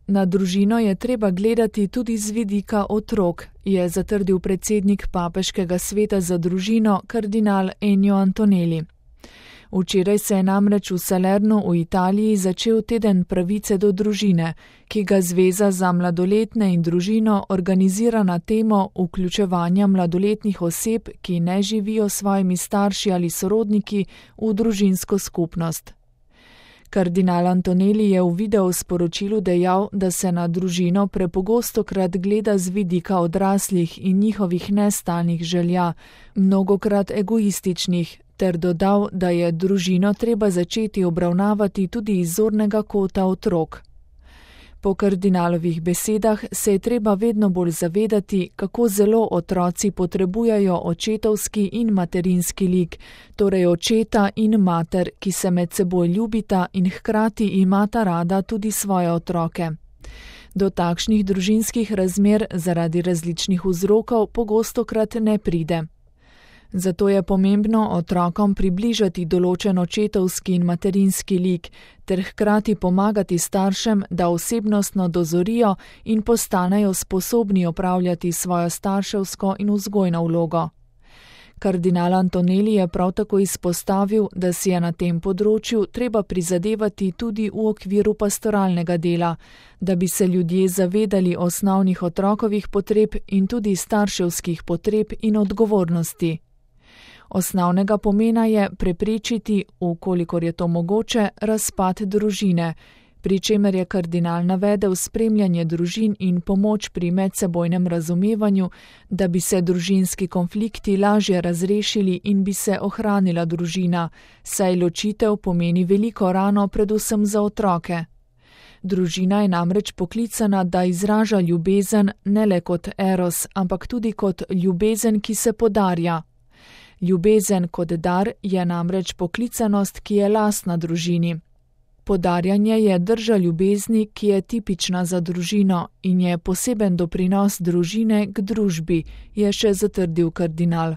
Na družino je treba gledati tudi z vidika otrok, je zatrdil predsednik Papeškega sveta za družino kardinal Ennio Antonelli. Včeraj se je namreč v Salernu v Italiji začel teden pravice do družine, ki ga Zveza za mladoletne in družino organizira na temo vključevanja mladoletnih oseb, ki ne živijo s svojimi starši ali sorodniki, v družinsko skupnost. Kardinal Antonelli je v videosporočilu dejal, da se na družino prepogostokrat gleda z vidika odraslih in njihovih nestalnih želja, mnogokrat egoističnih, ter dodal, da je družino treba začeti obravnavati tudi iz zornega kota otrok. Po kardinalovih besedah se je treba vedno bolj zavedati, kako zelo otroci potrebujejo očetovski in materinski lik, torej očeta in mater, ki se med seboj ljubita in hkrati imata rada tudi svoje otroke. Do takšnih družinskih razmer zaradi različnih vzrokov pogostokrat ne pride. Zato je pomembno otrokom približati določen očetovski in materinski lik, ter hkrati pomagati staršem, da osebnostno dozorijo in postanejo sposobni opravljati svojo starševsko in vzgojno vlogo. Kardinal Antonelli je prav tako izpostavil, da si je na tem področju treba prizadevati tudi v okviru pastoralnega dela, da bi se ljudje zavedali osnovnih otrokovih potreb in tudi starševskih potreb in odgovornosti. Osnovnega pomena je preprečiti, vkolikor je to mogoče, razpad družine, pri čemer je kardinal navedel spremljanje družin in pomoč pri medsebojnem razumevanju, da bi se družinski konflikti lažje razrešili in bi se ohranila družina, saj ločitev pomeni veliko rano predvsem za otroke. Družina je namreč poklicana, da izraža ljubezen ne le kot eros, ampak tudi kot ljubezen, ki se podarja. Ljubezen kot dar je namreč poklicanost, ki je lastna družini. Podarjanje je drža ljubezni, ki je tipična za družino in je poseben doprinos družine k družbi, je še zatrdil kardinal.